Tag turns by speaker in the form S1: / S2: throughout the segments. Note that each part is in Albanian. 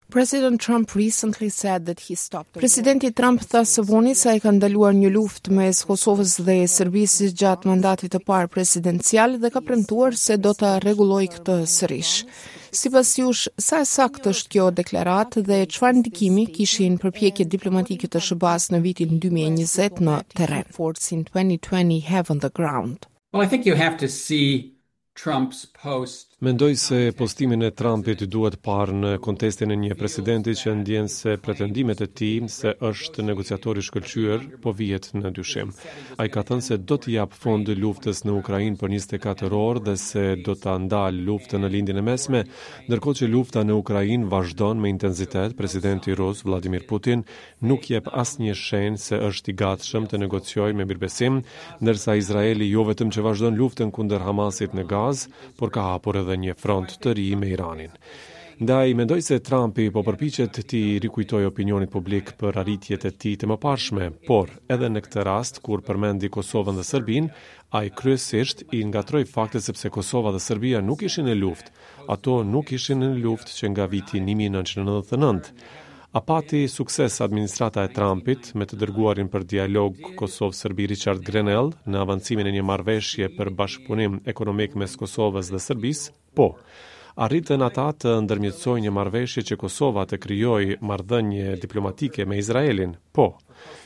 S1: President Trump recently said that he stopped Presidenti Trump tha së voni se ai ka ndaluar një luftë mes Kosovës dhe Serbisë gjatë mandatit të parë presidencial dhe ka premtuar se do ta rregullojë këtë sërish. Sipas jush, sa e saktë është kjo deklaratë dhe çfarë ndikimi kishin përpjekjet diplomatike të SHBA-s në vitin 2020 në terren? Efforts in 2020 have on the ground.
S2: Well, I think you have to see Trump's post.
S3: Mendoj se postimin e Trumpit duhet parë në kontestin e një presidenti që ndjen se pretendimet e tij se është negociator i shkëlqyer po vihet në dyshim. Ai ka thënë se do t'i japë fund luftës në Ukrainë për 24 orë dhe se do ta ndalë luftën në Lindjen e Mesme, ndërkohë që lufta në Ukrainë vazhdon me intensitet, presidenti rus Vladimir Putin nuk jep asnjë shenjë se është i gatshëm të negociojë me mirëbesim, ndërsa Izraeli jo vetëm që vazhdon luftën kundër Hamasit në Gazë, por ka hapur edhe një front të ri me Iranin. Ndaj, mendoj se Trumpi po përpiqet t'i rikujtojë opinionit publik për arritjet e tij të mëparshme, por edhe në këtë rast kur përmendi Kosovën dhe Serbinë, ai kryesisht i ngatërroi faktet sepse Kosova dhe Serbia nuk ishin në luftë, ato nuk ishin në luftë që nga viti 1999. A pati sukses administrata e Trumpit me të dërguarin për dialog Kosovë-Serbi Richard Grenell në avancimin e një marrëveshje për bashkëpunim ekonomik mes Kosovës dhe Serbisë? Po. Arritën ata të ndërmjetësojnë një marrëveshje që Kosova të krijojë marrëdhënie diplomatike me Izraelin? Po.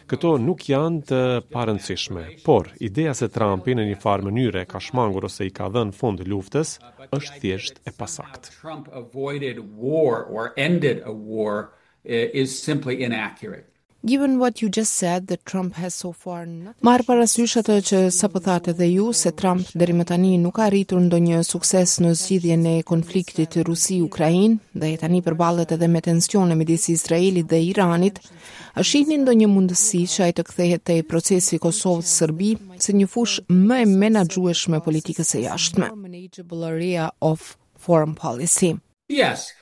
S3: Këto nuk janë të parëndësishme, por ideja se Trumpi në një farë mënyre ka shmangur ose i ka dhënë fund luftës është thjesht e pasaktë.
S2: Trump avoided war or ended a war is simply inaccurate.
S1: Given what you just said that Trump has so far not Marrë parasysh atë që sapo thatë edhe ju se Trump deri më tani nuk ka arritur ndonjë sukses në zgjidhjen e konfliktit Rusi-Ukrainë dhe tani përballet edhe me tensione midis Izraelit dhe Iranit, a shihni ndonjë mundësi që ai të kthehet te procesi Kosovë-Serbi si një fushë më e menaxhueshme e politikës së jashtme? Manageable area of foreign policy.
S2: Yes.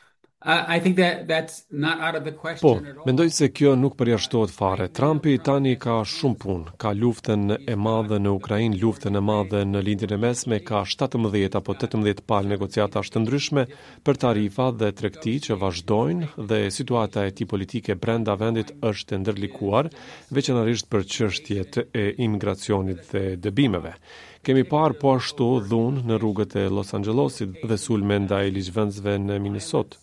S2: I think that that's not out of the question
S3: Po, mendoj se kjo nuk përjashtohet fare. Trumpi tani ka shumë punë. Ka luftën e madhe në Ukrainë, luftën e madhe në Lindjen e Mesme, ka 17 apo 18 palë negociatash të ndryshme për tarifa dhe tregti që vazhdojnë dhe situata e tij politike brenda vendit është e ndërlikuar, veçanërisht për çështjet e imigracionit dhe dëbimeve. Kemi parë po ashtu dhunë në rrugët e Los Angelesit dhe sulme ndaj ligjvënësve në Minnesota.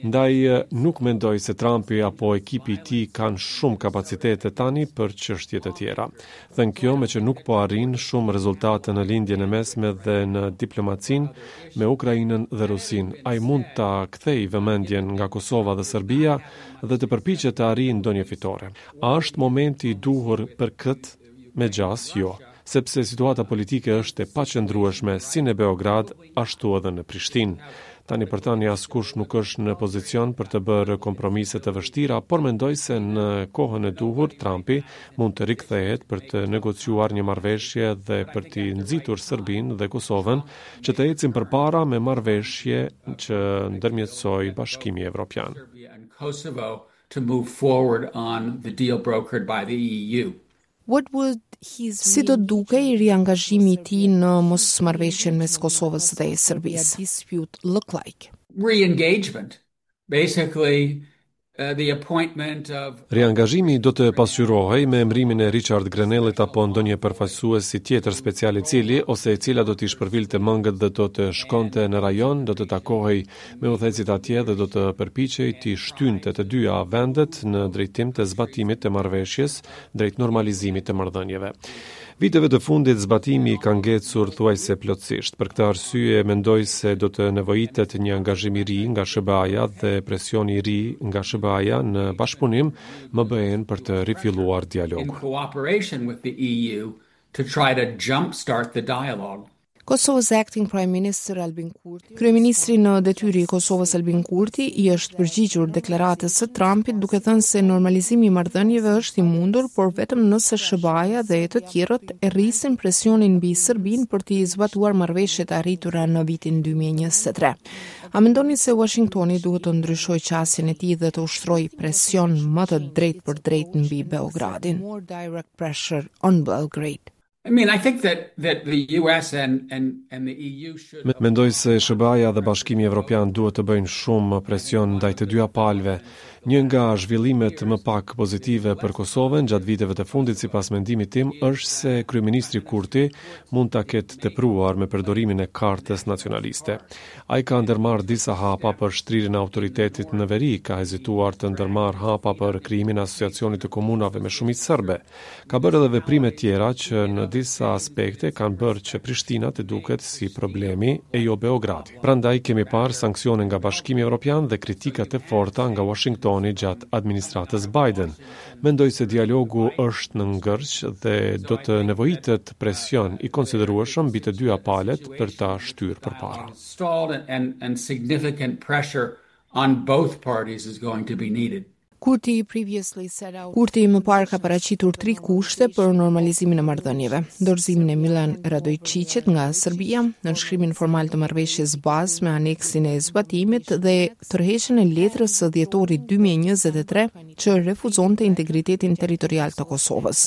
S3: Ndaj nuk mendoj se Trumpi apo ekipi i tij kanë shumë kapacitete tani për çështje të tjera. Thënë kjo, meqë nuk po arrin shumë rezultate në Lindjen e Mesme dhe në diplomacinë me Ukrainën dhe Rusinë, ai mund ta kthejë vëmendjen nga Kosova dhe Serbia dhe të përpiqet të arrijë ndonjë fitore. A është momenti i duhur për këtë? Me gjasë, jo, sepse situata politike është e paqëndrueshme si në Beograd, ashtu edhe në Prishtinë. Tani për tani askush nuk është në pozicion për të bërë kompromise të vështira, por mendoj se në kohën e duhur Trumpi mund të rikthehet për të negociuar një marrëveshje dhe për t'i nxitur Serbinë dhe Kosovën që të ecin përpara me marrëveshje që ndërmjetësoi Bashkimi Evropian.
S2: to move forward on the deal brokered by the EU.
S1: What would his Si do të dukej riangazhimi i tij në mosmarrëveshjen mes Kosovës dhe Serbisë? dispute look like?
S2: Re-engagement. Basically, uh, the appointment of
S3: Riangazhimi do të pasqyrohej me emërimin e Richard Grenellit apo ndonjë përfaqësuesi tjetër special i cili ose e cila do t'i shpërvilte mëngët dhe do të shkonte në rajon, do të takohej me udhëheqësit atje dhe do të përpiqej t'i shtynte të dyja vendet në drejtim të zbatimit të marrëveshjes drejt normalizimit të marrëdhënieve. Viteve të fundit zbatimi ka ngecur thuajse plotësisht. Për këtë arsye mendoj se do të nevojitet një angazhim i ri nga SHBA-ja dhe presioni i ri nga SHBA-ja në bashkëpunim me BE-n për të rifilluar
S2: in
S3: dialogun.
S2: cooperation with the EU to try to jumpstart the dialogue.
S1: Kosovo's acting Prime Minister Albin Kurti, Kryeministri në detyrë i Kosovës Albin Kurti i është përgjigjur deklaratës së Trumpit duke thënë se normalizimi i marrëdhënieve është i mundur, por vetëm nëse SHBA-ja dhe të tjerët e rrisin presionin mbi Serbinë për t'i zbatuar marrëveshjet e arritura në vitin 2023. A mendoni se Washingtoni duhet të ndryshojë qasjen e tij dhe të ushtrojë presion më të drejtpërdrejtë mbi Beogradin? More direct pressure on Belgrade.
S2: I mean, I think that that the US and and and the EU should
S3: Mendoj se SHBA-ja dhe Bashkimi Evropian duhet të bëjnë shumë presion ndaj të dyja palëve. Një nga zhvillimet më pak pozitive për Kosovën gjatë viteve të fundit sipas mendimit tim është se kryeministri Kurti mund ta ketë tepruar me përdorimin e kartës nacionaliste. Ai ka ndërmarrë disa hapa për shtrirjen e autoritetit në veri, ka hezituar të ndërmarrë hapa për krijimin e Asociacionit të Komunave me shumicë serbe. Ka bërë edhe veprime tjera që në disa aspekte kanë bërë që Prishtina të duket si problemi e jo Beogradi. Prandaj kemi parë sanksione nga Bashkimi Evropian dhe kritika të forta nga Uashingtoni gjatë administratës Biden. Mendoj se dialogu është në ngërç dhe do të nevojitet presion i konsiderueshëm mbi të dyja palët për ta shtyrë përpara.
S2: On both parties is going to be needed.
S1: Kurti previously set out Kurti më parë ka paraqitur tri kushte për normalizimin e marrëdhënieve: dorëzimin e Milan Radoiçiqit nga Serbia, nënshkrimin formal të marrëveshjes bazë me aneksin e zbatimit dhe tërheqjen e letrës së dhjetorit 2023 që refuzonte integritetin territorial të Kosovës.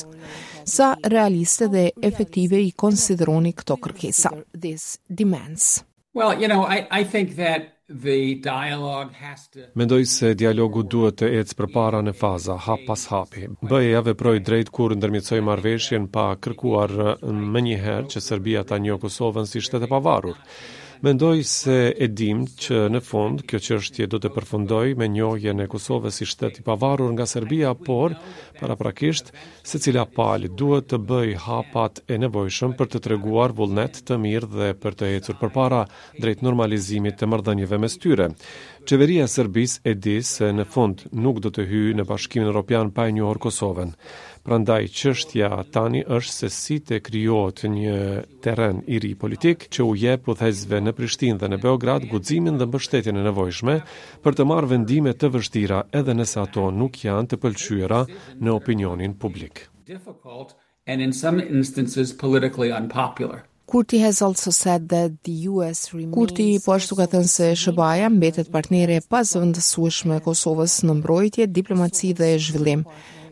S1: Sa realiste dhe efektive i konsideroni këto kërkesa? These demands.
S2: Well, you know, I I think that the dialogue has to
S3: Mendoj se dialogu duhet të ecë përpara në faza, hap pas hapi. BE-ja veproi drejt kur ndërmjetësoi marrëveshjen pa kërkuar menjëherë që Serbia ta njohë Kosovën si shtet e pavarur. Mendoj se e dimë që në fund kjo çështje do të përfundojë me njohjen e Kosovës si shtet i pavarur nga Serbia, por paraprakisht Secila palë duhet të bëjë hapat e nevojshëm për të treguar vullnet të mirë dhe për të ecur përpara drejt normalizimit të marrëdhënieve mes tyre. Qeveria e Serbisë e di se në fund nuk do të hyjë në Bashkimin Europian pa e njohur Kosovën. Prandaj çështja tani është se si të krijohet një terren i ri politik që u jep udhëheqësve në Prishtinë dhe në Beograd guximin dhe mbështetjen e nevojshme për të marrë vendime të vështira edhe nëse ato nuk janë të pëlqyera në opinionin publik.
S2: Difficult and in some instances politically unpopular.
S1: Kurti has also said that the US remains Kurti po ashtu ka thënë se SHBA-ja mbetet partnere e pazëvendësueshme e Kosovës në mbrojtje, diplomaci dhe zhvillim.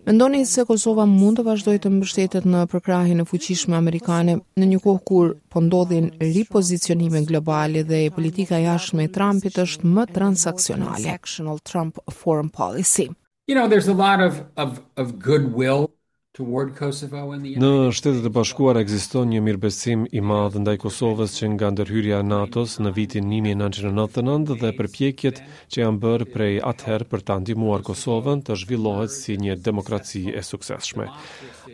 S1: Mendoni se Kosova mund të vazhdojë të mbështetet në përkrahjen e fuqishme amerikane në një kohë kur po ndodhin ripozicionime globale dhe politika e jashtme e Trumpit është më transaksionale. Trump foreign policy.
S2: You know, there's a lot of of of goodwill toward Kosovo in the
S3: Në Shtetet e Bashkuara ekziston një mirëbesim i madh ndaj Kosovës që nga ndërhyrja e NATO-s në vitin 1999 dhe përpjekjet që janë bërë prej atëherë për ta ndihmuar Kosovën të zhvillohet si një demokraci e suksesshme.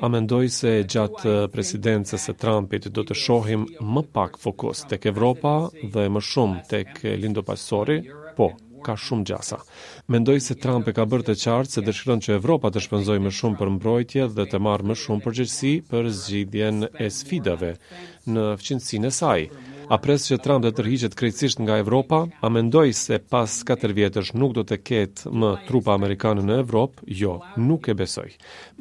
S3: A mendoj se gjatë presidencës së Trumpit do të shohim më pak fokus tek Evropa dhe më shumë tek Indo-Paqësori? Po, ka shumë gjasa. Mendoj se Trump e ka bërë të qartë se dëshiron që Evropa të shpenzojë më shumë për mbrojtje dhe të marrë më shumë përgjegjësi për zgjidhjen e sfidave në fqinjësinë e saj. A pres që Trump të tërhiqet krejtësisht nga Evropa? A mendoj se pas 4 vjetësh nuk do të ketë më trupa amerikane në Evropë? Jo, nuk e besoj.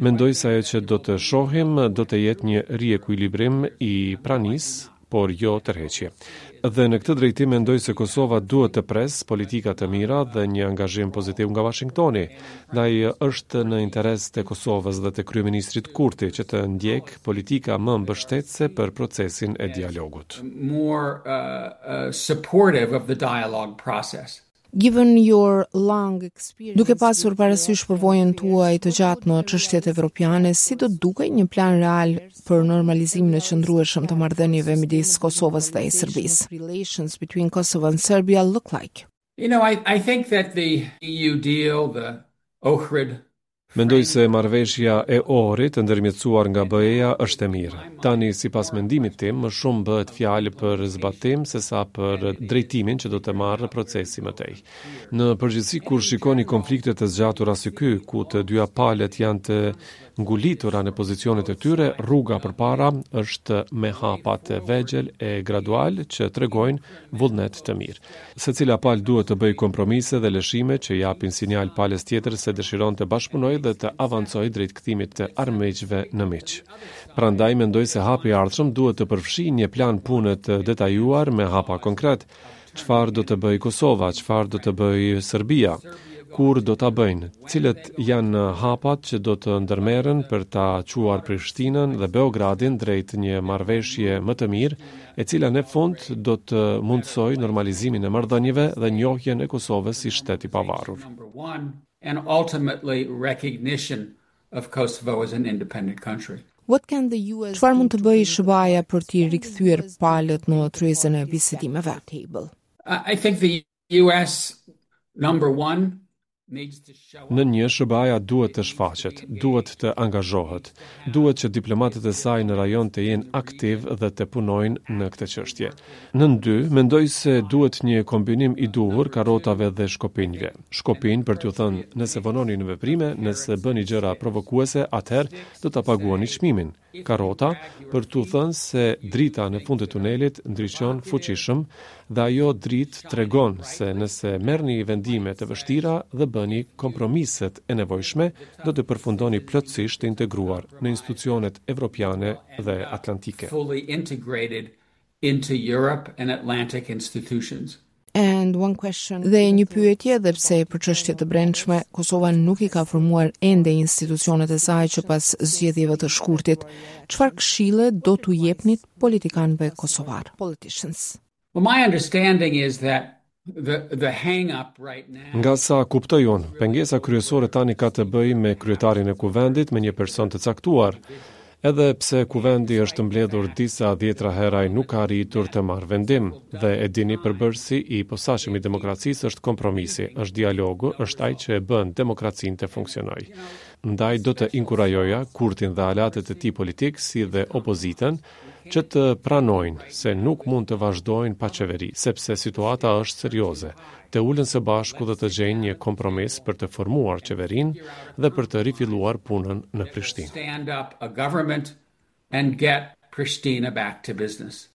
S3: Mendoj se ajo që do të shohim do të jetë një riekuilibrim i pranisë, por jo tërheqje. Dhe në këtë drejtim mendoj se Kosova duhet të presë politika të mira dhe një angazhim pozitiv nga Washingtoni. Ndaj është në interes të Kosovës dhe të kryeministrit Kurti që të ndjekë politika më mbështetëse për procesin e dialogut.
S2: More uh, uh, supportive of the dialogue process.
S1: Given your long experience, Duke pasur parasysh përvojën tuaj të gjatë në çështjet evropiane, si do të dukej një plan real për normalizimin e qëndrueshëm të marrëdhënieve midis Kosovës dhe Serbisë? Relations between Kosovo and Serbia look like?
S2: You know, I, I think that the EU deal, the Ohrid
S3: Mendoj se marrëveshja e Ohrit e ndërmjetësuar nga BE-ja është e mirë. Tani, sipas mendimit tim, më shumë bëhet fjalë për zbatim sesa për drejtimin që do të marrë procesi më tej. Në përgjithësi, kur shikoni konflikte të zgjatura si ky, ku të dyja palët janë të ngulitura në pozicionet e tyre, rruga përpara është me hapa të vegjël e gradual që tregojnë vullnet të mirë. Secila palë duhet të bëjë kompromise dhe lëshime që japin sinjal palës tjetër se dëshiron të bashkëpunojë dhe të avancojë drejt kthimit të armiqve në miq. Prandaj mendoj se hapi i ardhshëm duhet të përfshijë një plan pune të detajuar me hapa konkret. Çfarë do të bëjë Kosova, çfarë do të bëjë Serbia? Kur do ta bëjnë? Cilët janë hapat që do të ndërmerren për ta çuar Prishtinën dhe Beogradin drejt një marrëveshje më të mirë, e cila në fund do të mundësojë normalizimin e marrëdhënieve dhe njohjen e Kosovës si shtet i pavarur.
S2: And ultimately recognition of Kosovo as an independent country.
S1: What can the US Çfarë mund të bëjë SHBA-ja për t'i rikthyer palët në tryezën e bisedimeve?
S2: I think the US number one needs to show
S3: Në një, SHBA-ja duhet të shfaqet, duhet të angazhohet, duhet që diplomatët e saj në rajon të jenë aktiv dhe të punojnë në këtë çështje. Nën dy, mendoj se duhet një kombinim i duhur karotave dhe shkopinjve. Shkopinj për t'ju thënë, nëse vononi në veprime, nëse bëni gjëra provokuese, atëherë do ta paguani çmimin. Karota për t'u thënë se drita në fund të tunelit ndriçon fuqishëm dhe ajo dritë tregon se nëse merrni vendime të vështira dhe bëni kompromiset e nevojshme, do të përfundoni plotësisht të integruar në institucionet evropiane dhe atlantike.
S2: fully integrated into Europe and Atlantic institutions.
S1: And one question. Dhe një pyetje, edhe pse për çështje të brendshme, Kosova nuk i ka formuar ende institucionet e saj që pas zgjedhjeve të shkurtit. Çfarë këshille do t'u jepnit politikanëve kosovar? Politicians.
S2: Well, my understanding is that the the hang up right now
S3: Nga sa kuptoj unë, pengesa kryesore tani ka të bëjë me kryetarin e kuvendit me një person të caktuar. Edhe pse kuvendi është mbledhur disa dhjetra herë ai nuk ka arritur të marrë vendim dhe e dini përbërësi i posaçëm i demokracisë është kompromisi, është dialogu, është ai që e bën demokracinë të funksionojë. Ndaj do të inkurajoja Kurtin dhe aleatët e tij politik si dhe opozitën që të pranojnë se nuk mund të vazhdojnë pa qeveri, sepse situata është serioze. Të ulen së bashku dhe të gjejnë një kompromis për të formuar qeverinë dhe për të rifilluar punën në Prishtinë.
S2: stand up a government and get Pristina back to business.